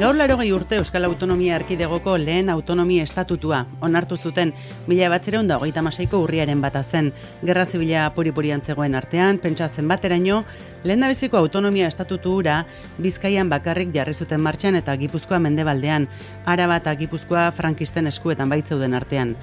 Gaur 80 urte Euskal Autonomia Erkidegoko lehen autonomia estatutua onartu zuten 1936ko urriaren 1 zen. Gerra zibila puri-purian zegoen artean, pentsa zenbateraino, lehendabiziko autonomia estatutu hura Bizkaian bakarrik jarri zuten martxan eta Gipuzkoa mendebaldean, Araba eta Gipuzkoa frankisten eskuetan baitzeuden artean.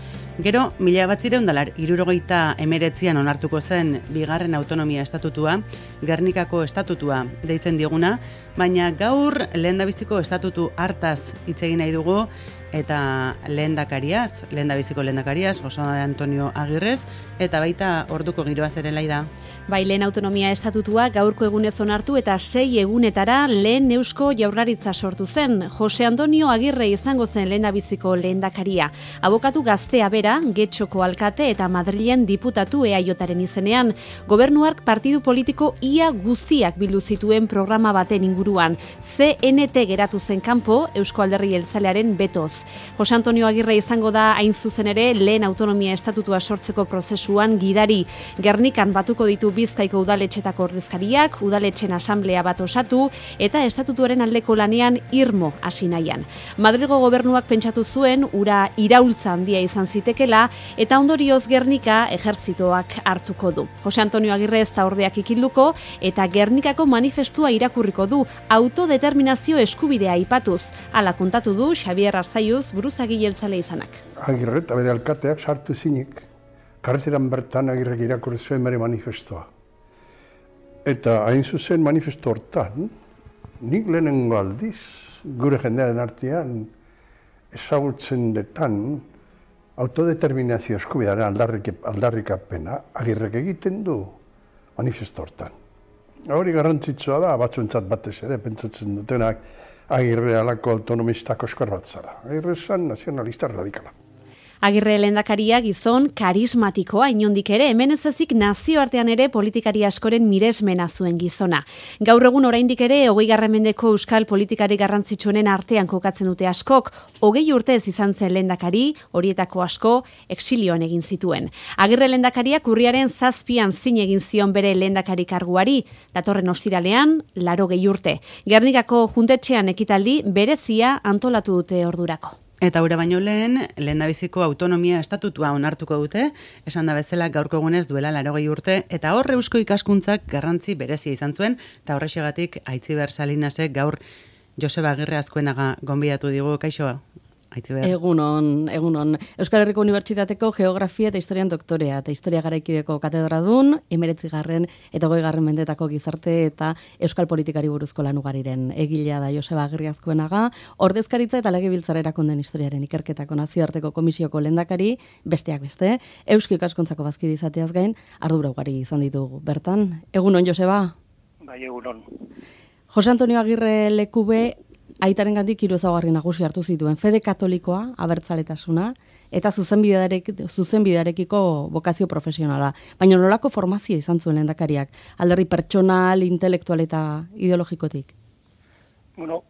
Gero, 1979an onartuko zen bigarren autonomia estatutua, Gernikako estatutua deitzen diguna, baina gaur lehendabiziko estatutu hartaz hitz egin nahi dugu eta lehendabiziko lehendakariaz, Jose Antonio Agirrez, eta baita orduko giroaz ere Laida. Bai, lehen autonomia estatutua gaurko egunez onartu eta 6 egunetara lehen Eusko Jaurlaritza sortu zen. Jose Antonio Agirre izango zen lehendabiziko lehendakaria. Abokatu gaztea bera, Getxoko alkate eta Madrilen diputatu EAJaren izenean. Gobernuak partidu politiko ia guztiak bildu zituen programa baten inguruan. CNT geratu zen kanpo Eusko Alderdi Jeltzalearen betoz. Jose Antonio Agirre izango da hain zuzen ere lehen autonomia estatutua sortzeko prozesuan gidari. Gernikan batuko ditu Bizkaiko udaletxetako ordezkariak, udaletxen asamblea bat osatu eta estatutuaren aldeko lanean irmo hasi nahian. Madrilgo gobernuak pentsatu zuen ura iraultza handia izan zitekela eta ondorioz Gernika ejertzitoak hartuko du. Jose Antonio Agirre ez da ordeak ikilduko eta Gernikako manifestua irakurriko du autodeterminazio eskubidea aipatuz. Hala kontatu du Xabier Arzaiuz buruzagi jeltzale izanak. Agirre eta bere alkateak sartu zinik. Karreteran bertan Agirrek irakurri zuen bere manifestoa. Eta hain zuzen manifesto hortan, nik lehenengo aldiz, gure jendearen artean, ezagutzen detan, autodeterminazio eskubidearen aldarrikapena Agirrek egiten du manifesto hortan. Hori garrantzitsua da, batzuentzat batez ere, pentsatzen dutenak Agirre alako autonomistako eskor bat zara. Agirre zan nazionalista radikala. Agirre lehendakaria gizon karismatikoa inondik ere, hemen ez ezik nazioartean ere politikari askoren miresmena zuen gizona. Gaur egun oraindik ere 20. mendeko euskal politikari garrantzitsuenen artean kokatzen dute askok, 20 urtez izan zen lehendakari, horietako asko exilioan egin zituen. Agirre lehendakariak urriaren 7an zin egin zion bere lehendakari karguari, datorren ostiralean 80 urte. Gernikako juntetxean ekitaldi berezia antolatu dute ordurako. Eta hura baino lehendabiziko autonomia estatutua onartuko dute, esan da bezala gaurko egunez duela 80 urte, eta hor eusko ikaskuntzak garrantzi berezia izan zuen, eta horrexegatik Aitziber Salinasek gaur Joseba Agirre Azkuenaga gonbidatu digu, kaixo? Aitziber. Egunon. Euskal Herriko Unibertsitateko Geografia eta Historian doktorea eta Historia Garaikideko katedradun, 19. eta 20. mendetako gizarte eta euskal politikari buruzko lan ugariren egilea da Joseba Agirre Azkuenaga, ordezkaritza eta legebiltzar erakunden historiaren ikerketako nazioarteko komisioko lehendakari, besteak beste, eusko ikaskuntzako bazkide izateaz gain, ardura ugari izan ditugu. Bertan, egunon Joseba? Bai, egunon. Jose Antonio Agirre lekube aitarengandik 3 ezaugarri nagusi hartu zituen: fede katolikoa, abertzaletasuna eta zuzenbidearekiko bokazio profesionala. Baina nolako formazio izan zuen lehendakariak, alderdi pertsonal, intelektual eta ideologikotik? Bueno,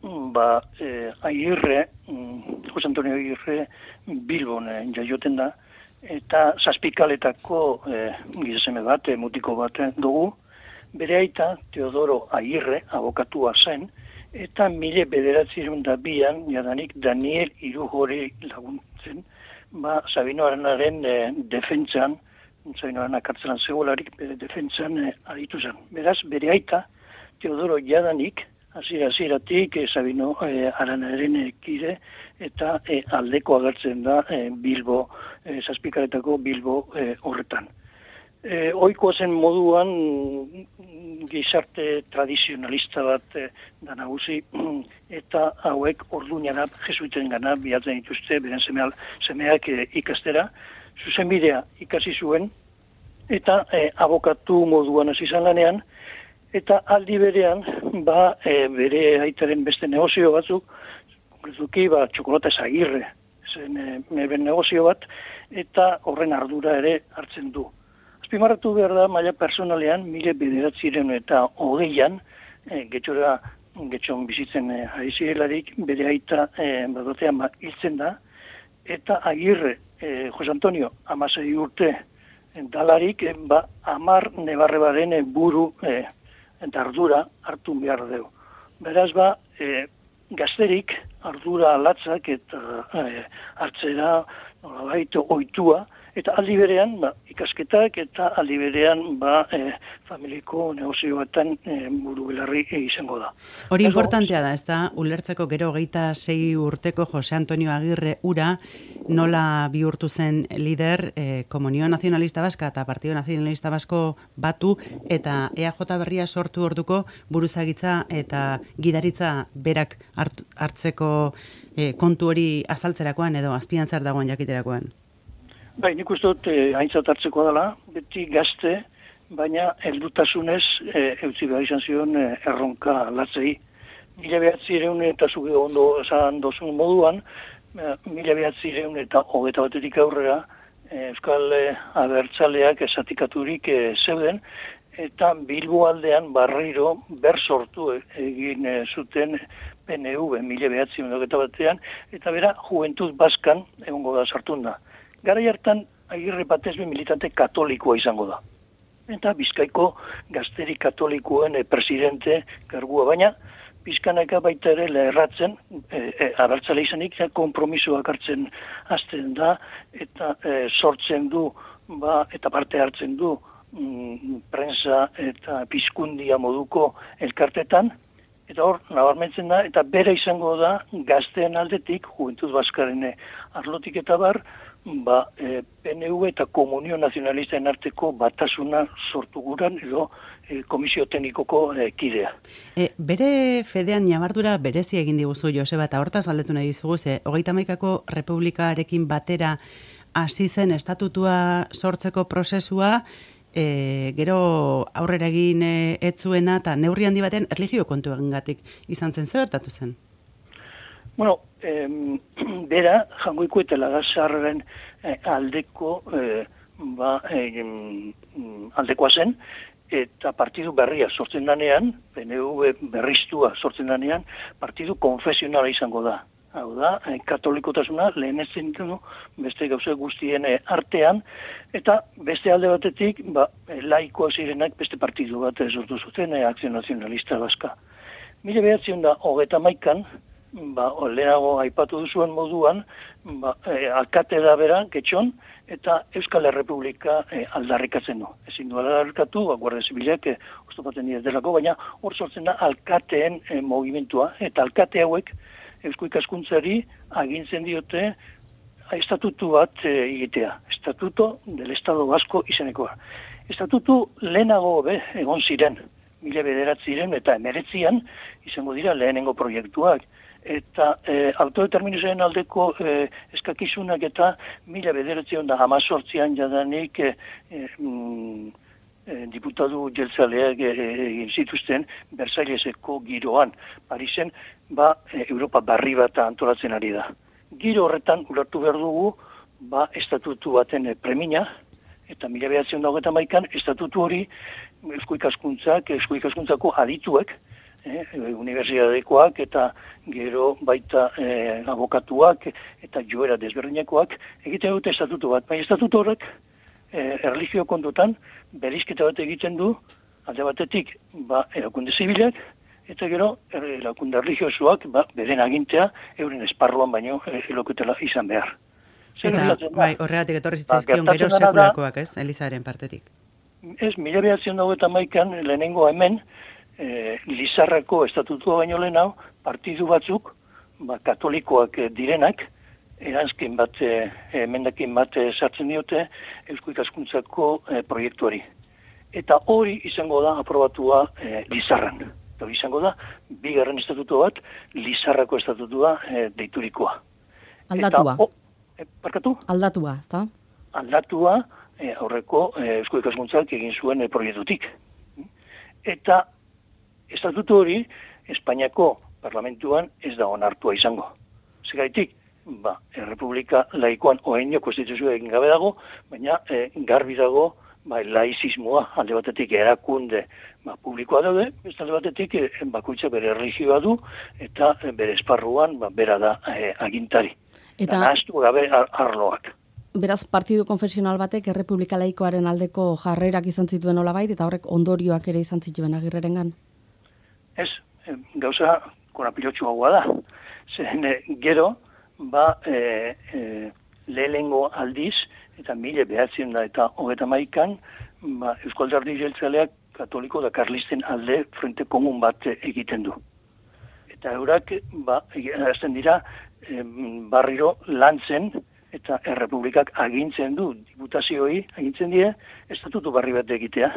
Agirre, Jose Antonio Agirre Bilbon jaioten da, eta Zazpikaletako gizaseme bat, mutiko bat dugu. Bere aita, Teodoro Agirre, abokatua zen, eta 1902an jadanik Daniel Irujori laguntzen, Sabino Aranaren defentsan, Sabino Arana kartzelan zegoelarik defentsan aritu zen. Beraz, bere aita, Teodoro jadanik, hasieratik Sabino Aranaren kide, eta aldeko agertzen da Bilbo, Zazpikaletako Bilbo horretan. Ohikoa zen moduan gizarte tradizionalista bat da nagusi, eta hauek orduñara jesuiten gana bilatzen dituzte, beren semeak ikastera, zuzenbidea ikasi zuen, eta abokatu moduan hasi izan lanean, eta aldi berean, bere aitaren beste negozio batzuk, konkretuki, Txokolata Agirre, zen negozio bat, eta horren ardura ere hartzen du. Azpimarratu behar da, maila personalean, 1920an, getxon bizitzen ari zirelarik, bere aita batean hiltzen da, eta Agirre, Jose Antonio, 16 urte dalarik, 10 nebarrebaren buru eta ardura hartu behar dugu. Beraz, gazterik ardura latzak eta hartzera nolabait ohitua, eta aldi berean ikasketak eta aldi berean familiko negozioetan buru belarri izango da. Hori importantea da, ez da, ulertzeko gero 26 urteko Jose Antonio Agirre ura nola bihurtu zen lider Komunio Nazionalista Baska eta Partido Nazionalista Basko batu eta EAJ berria sortu orduko buruzagitza eta gidaritza berak hartzeko kontu hori azaltzerakoan edo azpian zer dagoen jakiterakoan. Bai, nik uste dut aintzat hartzeko dela, beti gazte, baina heldutasunez eutzi behar izan zion erronka latzei. 1900 eta zuge ondo esan dozun moduan, 1921 aurrera Euskal Abertzaleak esatikaturik zeuden, eta Bilbo aldean barriro sortu egin zuten PNV 1921 eta bera Juventud Baskan egongo da sartun da. Garai hartan Agirre batez militante katolikoa izango da. Eta Bizkaiko gazteri katolikoen presidente kargua, baina pizkanaka baita ere lerratzen, abertzale izanik, konpromisoak hartzen hasten da, eta sortzen du, eta parte hartzen du, prensa eta pizkundia moduko elkartetan, eta hor, nabarmentzen da, eta bere izango da, gazteen aldetik, Juventud Baskaren arlotik eta bar, PNV eta Komunio Nazionalisten arteko batasuna sortu guran, edo komisio teknikoko kidea. Bere fedean ñabardura berezi egin diguzu, Joseba, eta hortaz galdetu nahi dizugu, 31ko Republikarekin batera hasi zen estatutua sortzeko prozesua, gero aurrera egin ez zuena, eta neurri handi baten erlijio kontu egingatik izan zen, zer gertatu zen? Bueno, bera, Jangoiko eta Lagasarren aldeko aldekoa zen, eta partidu berria sortzen danean, PNV berriztua sortzen danean, partidu konfesionala izango da. Hau da, katolikotasuna lehenetzen du beste gauza guztien artean, eta beste alde batetik, laikoa zirenak beste partidu bat sortu zuten, Akzio Nazionalista Baska. 1931an, lehenago aipatu duzuen moduan, alkate da bera, Getxon, eta Euskal Errepublika aldarrikatzen du. Ezin du aldarrikatu, Guardia Zibilak oztopatzen dira delako, baina hor sortzen da alkateen mogimentua, eta alkate hauek Eusko Ikaskuntzari agintzen diote estatutu bat egitea. Estatuto del Estado Vasco izenekoa. Estatutu lehenago egon ziren, 1909 eta 1919 izango dira lehenengo proiektuak. Eta autodeterminazioen aldeko eskakizunak eta 1918an jadanik diputatu jeltzaleak egin zituzten Versailleseko giroan. Parisen, Europa barri bat antolatzen ari da. Giro horretan ulertu behar dugu, estatutu baten premina, eta 1921an estatutu hori Eusko Ikaskuntzako adituek, unibertsitatekoak eta gero baita abokatuak eta joera desberdinekoak egiten dute estatutu bat. Baina estatutu horrek erlijio kontutan berizketa bat egiten du alde batetik erakunde zibilak eta gero erakunde erlijiosoak beren agintea euren esparruan baino elokutela izan behar. Eta horregatik etorri zitzaizkion gero sekulakoak, ez? Elizaren partetik. Ez, 1921an lehenengo hemen Lizarrako estatutua baino lehenau, partidu batzuk, katolikoak direnak, eranzkin bat, emendakin bat sartzen diote Eusko Ikaskuntzako proiektuari. Eta hori izango da aprobatua Lizarran. Hori izango da, bigarren estatutu bat, Lizarrako estatutua deiturikoa. Aldatua. Parkatu? Aldatua, ezta? Aldatua aurreko Eusko Ikaskuntzak egin zuen proiektutik. Eta estatutu hori Espainiako parlamentuan ez da onartua izango. Zergatik, Errepublika laikoan oaino konstituzioa egin gabe dago, baina garbi dago laizismoa alde batetik erakunde publikoa daude, beste alde batetik bakoitza bere erlijioa du eta bere esparruan bera da agintari. Eta nahaztu gabe arloak. Beraz, partidu konfesional batek Errepublika laikoaren aldeko jarrerak izan zituen olabait, eta horrek ondorioak ere izan zituen Agirrerengan? Ez, gauza korapilotsuagoa da. Zen gero, lehenengo aldiz, eta 1931an, Eusko Alderdi Jeltzaleak katoliko da karlisten alde frente komun bat egiten du. Eta eurak, azten dira, barriro lantzen, eta errepublikak agintzen du, diputazioi agintzen die, estatutu barri bat egitea.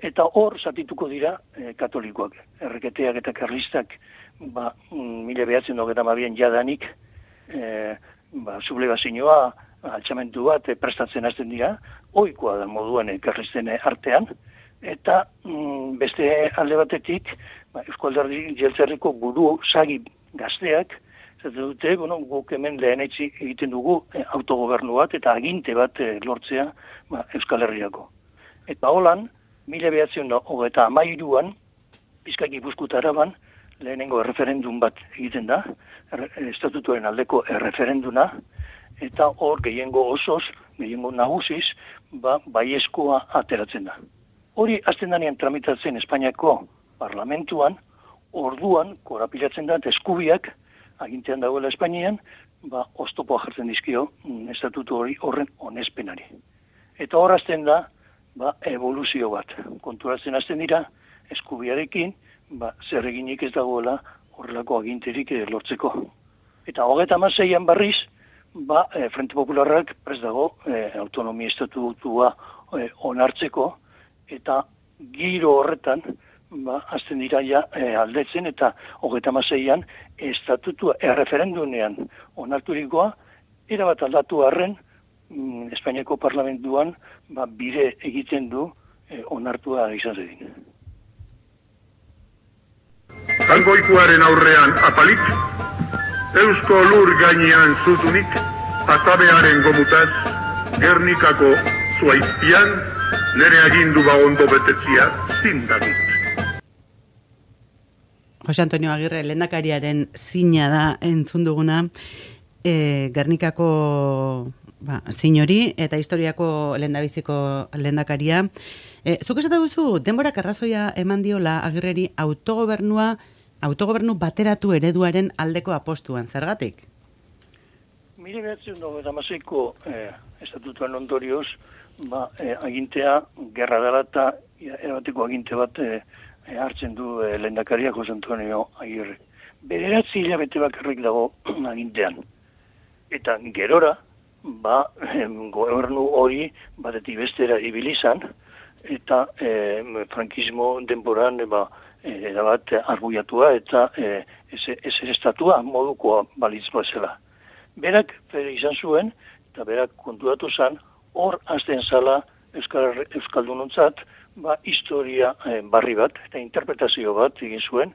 Eta hor zatituko dira katolikoak. Erreketeak eta karlistak 1922an jadanik sublebazioa, altxamentu bat prestatzen hasten dira, ohikoa da moduan karlisten artean, eta beste alde batetik, Eusko Alderdi Jeltzaleko buru sagi gazteak, zaten dute, guk hemen lehenetzi egiten dugu autogobernu bat eta aginte bat lortzea Euskal Herriako. Eta holan, 1933an, Bizkaia Gipuzkoa eta Araban, lehenengo erreferendum bat egiten da, estatutuaren aldeko erreferenduna, eta hor gehiengo osoz, gehiengo nagusiz, baiezkoa ateratzen da. Hori azten danean tramitatzen Espainiako parlamentuan, orduan korapilatzen da, eskubiak, agintean dagoela Espainian, oztopoa jartzen dizkio estatutu hori horren onespenari. Eta hor azten da, evoluzio bat. Konturatzen azten dira, eskubiarekin, zer eginik ez dagoela horrelako aginterik lortzeko. Eta 36an berriz, Frente Popularrak prest dago autonomia estatutua onartzeko, eta giro horretan, azten dira aldetzen, eta 36an estatutua erreferendunean onarturikoa, erabat aldatu arren, Espainiako parlamentuan bide egiten du onartua izan zedin. Jangoikoaren aurrean apalik, Eusko lur gainean zutunik, atabearen gomutaz, Gernikako zuaizpian, nere agindu bagondo betetzia zindakit. Jose Antonio Agirre lehendakariaren zina da entzun duguna, Gernikako zinori eta historiako lehendabiziko lehendakaria. Zuk esate duzu, denborak arrazoia eman diola Agirreri autogobernu bateratu ereduaren aldeko apostuan, zergatik? 1996ko estatutuan ondorioz, agintea, gerra dela eta erabateko aginte bat hartzen du lehendakaria Jose Antonio Agirre. 9 hilabete bakarrik dago agintean. Eta gerora, gobernu hori batetik bestera ibilizan, eta frankismo denboran erabat arguiatua eta ez estatua modukoa balitz bazela. Berak izan zuen, eta berak konturatu zen, hor azten zala Euskaldunontzat, historia barri bat, eta interpretazio bat egin zuen,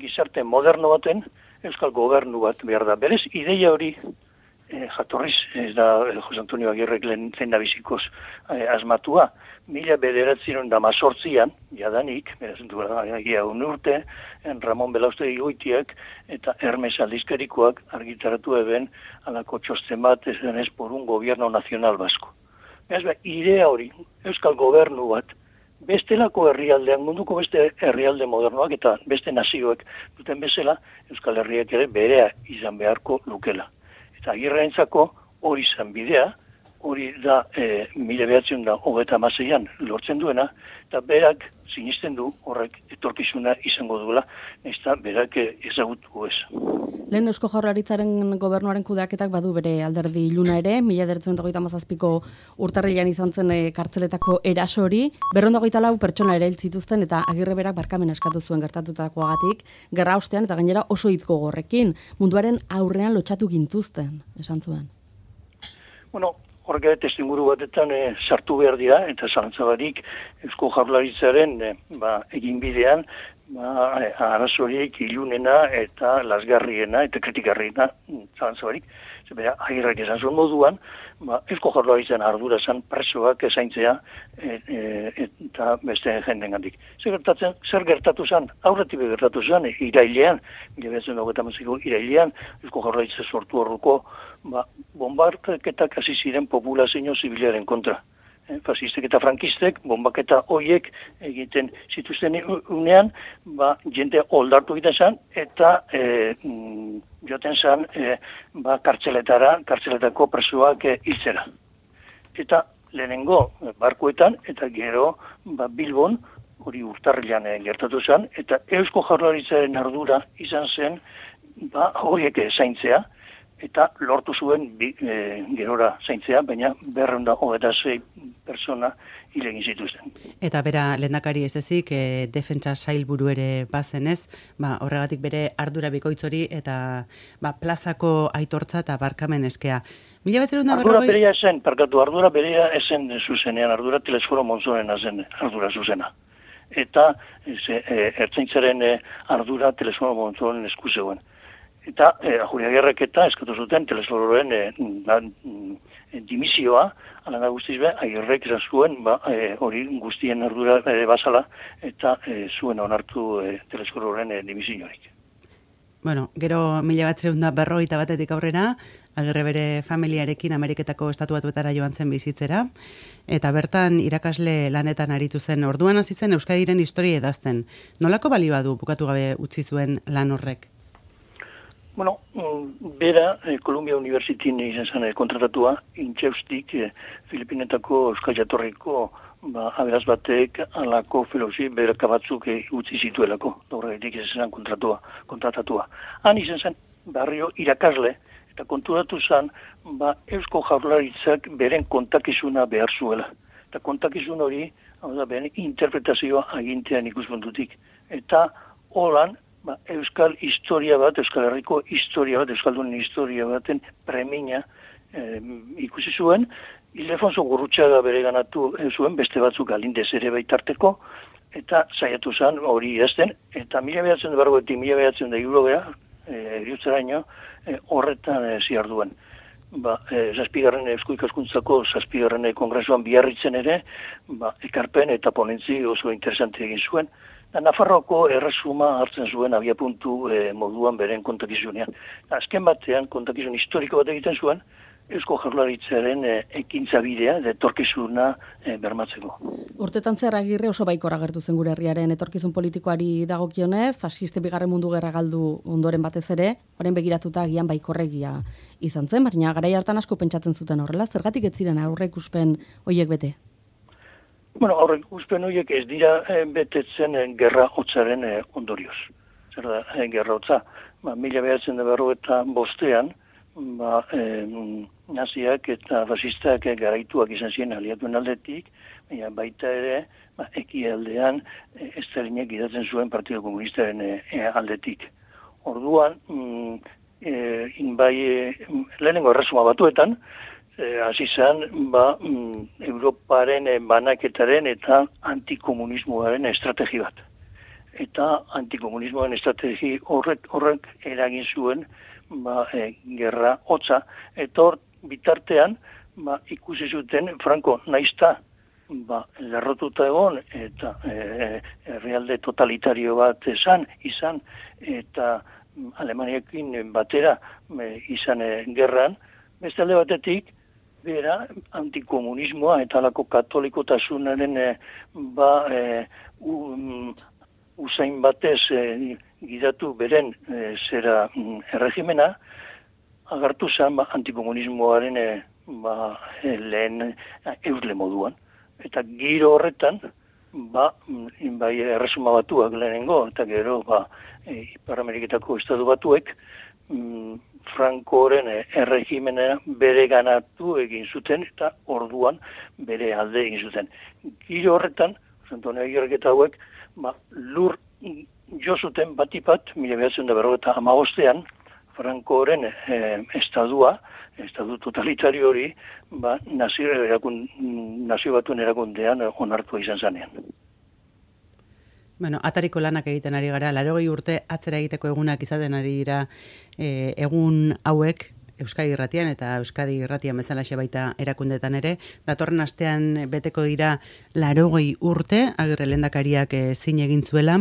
gizarte moderno baten Euskal gobernu bat behar da. Berez, ideia hori jatorriz, ez da Jose Antonio Agirrek lehendabizikoz asmatua. 1918an, jadanik, beraz egia urte, Ramon Belaustegi Goitiak eta Hermes aldizkarikoak argitaratu eben alako txosten bat ez denez por un gobierno nacional basko. Beraz, idea hori, Euskal gobernu bat, bestelako herrialdean, munduko beste herrialde modernoak eta beste nazioek duten bezala, Euskal Herriak ere berea izan beharko lukela. Eta Agirrentzako hori izan bidea, hori da 1936an lortzen duena, eta berak sinisten du horrek etorkizuna izango duela, eta berak ezagutu ez. Lehen Eusko Jaurlaritzaren gobernuaren kudeaketak badu bere alderdi iluna ere, 1937ko urtarrilean izan zen kartzeletako erasori, 224 pertsona ere hil zituzten eta Agirre berak barkamena eskatu zuen gertatutakoagatik, gerra ostean eta gainera oso hitz gogorrekin, munduaren aurrean lotxatu gintuzten, esan zuen. Horrek testuinguru batetan sartu behar dira, eta zalantzabarik Eusko Jaurlaritzaren eginbidean arazorik ilunena eta lasgarriena eta kritikarriena zalantzabarik. Agirrek esan zuen moduan, Eusko Jaurlaritzaren ardura zen presoak ezaintzea eta beste jendengandik. Zer gertatu zen? Aurretik gertatu zen, irailean, 1928ko irailean, Eusko Jaurlaritza sortu horruko bombardeketak hasi ziren populazio zibilaren kontra. fasistek eta frankistek, bombaketa hoiek egiten zituzten unean, jende oldartu egiten zen, eta joten zen kartzeletako presoak hiltzera. Eta lehenengo barkuetan, eta gero Bilbon, hori urtarrilan gertatu zen, eta Eusko Jaurlaritzaren ardura izan zen horiek zaintzea, eta lortu zuen gerora zaintzea, baina 226 persona hil egin zituzten. Eta bera lehendakari ez ezik, defentsa sailburu ere bazenez, horregatik bere ardura bikoitzori eta plazako aitortza eta barkamen eskea. Ardura berea esen, ardura berea esen zuzenean, ardura Telesforo Monzonena zen ardura zuzena. Eta ertzaintzaren ardura Telesforo Monzonen esku zegoen. Eta Ajuriagirrek eta eskatu zuten Telesfororen dimisioa, ala da guztiz Agirrek izan zuen, hori guztien ardura bazala, eta zuen onartu Telesfororen dimisiorik. Bueno, gero 1951 aurrera, Agirre bere familiarekin Ameriketako Estatu Batuetara joan zen bizitzera, eta bertan irakasle lanetan aritu zen. Orduan hasi zen Euskadiren historia idazten. Nolako balioa du bukatu gabe utzi zuen lan horrek? Bueno, bera, Columbia Universityn izan zen kontratatua, intxeustik Filipinetako Euskal Jatorriko aberaz batek alako filosi beraka batzuk utzi zituelako, horregatik izan zen kontratatua. Han izan zen barrio irakasle, eta konturatu zen, Eusko Jaurlaritzak beren kontakizuna behar zuela. Eta kontakizun hori, beren interpretazioa agintean ikuspuntutik. Eta holan, Euskal historia bat, Euskal Herriko historia bat, Euskaldunen historia baten premina ikusi zuen, Ildefonso Gurrutxaga bere ganatu zuen, beste batzuk Galindez ere baitarteko, eta saiatu zen hori idazten, eta 1940-1960 eriutzeraino horretan ziarduen. Zazpigarren Eusko Ikaskuntzako zazpigarren kongresuan Biarritzen ere, ekarpen eta ponentzi oso interesante egin zuen. Nafarroako erresuma hartzen zuen abiapuntu moduan beren kontakizunean. Azken batean kontakizun historiko bat egiten zuen, Eusko Jaurlaritzaren ekintza bidea, etorkizuna bermatzeko. Urtetan zehar Agirre oso baikor agertu zen gure herriaren etorkizun politikoari dagokionez, fasiste bigarren mundu gerra galdu ondoren batez ere, orain begiratuta agian baikorregia izan zen, baina garai hartan asko pentsatzen zuten horrela, zergatik ez ziren aurreikuspen horiek bete? Bueno, aurreikuspen horiek ez dira betetzen gerra hotzaren ondorioz. Zer da, gerra hotza, 1945 naziak eta fasistak garaituak izan ziren aliatuen aldetik, baita ere ekialdean Estalinek gidatzen zuen Partido Komunistaren aldetik. Orduan, lehenengo erresuma batuetan, hasi zen Europaren banaketaren eta antikomunismoaren estrategi bat. Eta antikomunismoaren estrategi horrek eragin zuen gerra hotza, eta hor bitartean ikusi zuten Franco naizta lerrotuta egon eta herrialde totalitario bat izan eta Alemaniakin batera izan gerran, beste alde batetik bera antikomunismoa eta alako katolikotasunaren usain batez gidatu beren zera erregimena, agartu zen antikomunismoaren lehen eusle moduan. Eta giro horretan, erresuma batuak lehenengo, eta gero Ipar Ameriketako Estatu Batuek, Francoren erregimena bere ganatu egin zuten, eta orduan bere alde egin zuten. Giro horretan, Antonio Agirrek eta hauek, lur jo zuten batipat, 1945 Francoren estadu totalitario hori, nazio batuen erakundean onartua izan zanean. Bueno, atariko lanak egiten ari gara, 80 urte atzera egiteko egunak izaten ari dira egun hauek, Euskadi Irratian eta Euskadi Irratian bezalaxe baita erakundetan ere. Datorren astean beteko dira 80 urte Agirre lehendakariak zin egin zuela,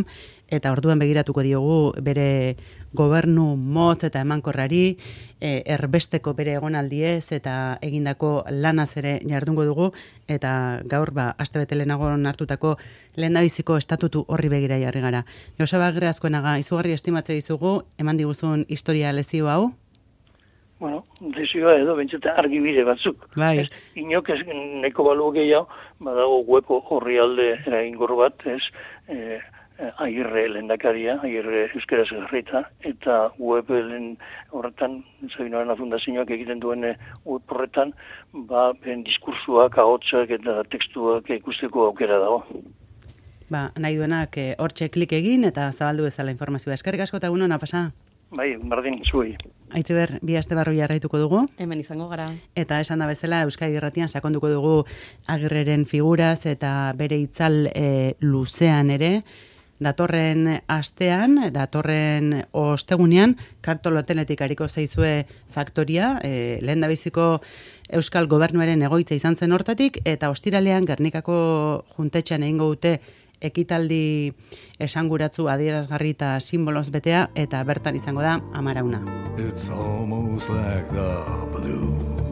eta orduan begiratuko diogu bere gobernu motz eta emankorrari, erbesteko bere egonaldiez eta egindako lanaz ere jardungo dugu, eta gaur astebete lehenago hartutako lehendabiziko estatutu horri begira jarri gara. Joseba Agirre Azkoenaga, izugarri estimatze dizugu, eman diguzun historia lezio hau? Bueno, lezioa edo bentseta argibide batzuk. Bai. Inok ez neko balu gehiago, badago web horri alde eraingor bat, Agirre lehendakaria, Agirre euskaraz garrita, eta web horretan, Sabinoaren Fundazioak egiten duen web horretan, ben diskursuak, ahotsak eta tekstuak ikusteko aukera dago. Nahi duenak hortxe klik egin eta zabaldu bezala informazioa. Eskerrik asko eta egun ona pasa. Bai, berdin, zuei. Aitziber, bi aste barru jarraituko dugu. Hemen izango gara. Eta esan da bezala, Euskadi Irratian sakonduko dugu Agirreren figuraz eta bere itzal luzean ere. Datorren astean, datorren ostegunean, Kartoloteletik ariko zaizue faktoria, lehendabiziko Euskal Gobernuaren egoitza izan zen hortatik, eta ostiralean Gernikako juntetxean egingo dute ekitaldi esanguratsu adierazgarri eta simboloz betea, eta bertan izango da Amarauna. It's almost like the blue